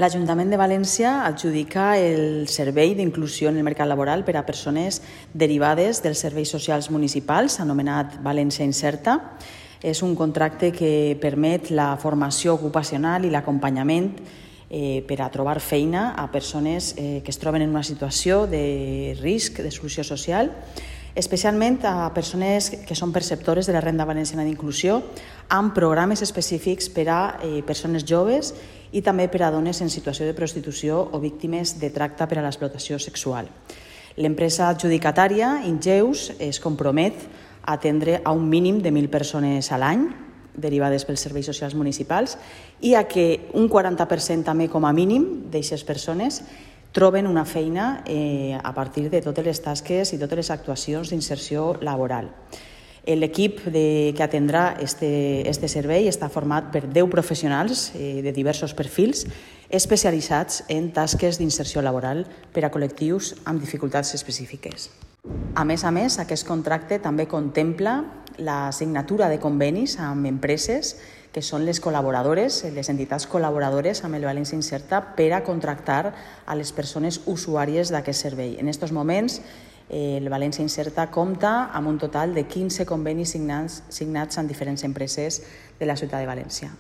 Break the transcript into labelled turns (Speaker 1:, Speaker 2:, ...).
Speaker 1: L'Ajuntament de València adjudica el servei d'inclusió en el mercat laboral per a persones derivades dels serveis socials municipals, anomenat València Inserta. És un contracte que permet la formació ocupacional i l'acompanyament per a trobar feina a persones que es troben en una situació de risc d'exclusió social, especialment a persones que són perceptores de la Renda Valenciana d'Inclusió, amb programes específics per a persones joves i també per a dones en situació de prostitució o víctimes de tracte per a l'explotació sexual. L'empresa adjudicatària, Ingeus, es compromet a atendre a un mínim de 1.000 persones a l'any, derivades pels serveis socials municipals, i a que un 40% també com a mínim d'aquestes persones troben una feina a partir de totes les tasques i totes les actuacions d'inserció laboral. L'equip que atendrà este servei està format per 10 professionals de diversos perfils especialitzats en tasques d'inserció laboral per a col·lectius amb dificultats específiques. A més, aquest contracte també contempla la signatura de convenis amb empreses que són les col·laboradores, les entitats col·laboradores amb el València Inserta per a contractar a les persones usuàries d'aquest servei. En aquests moments, el València Inserta compta amb un total de 15 convenis signats amb diferents empreses de la ciutat de València.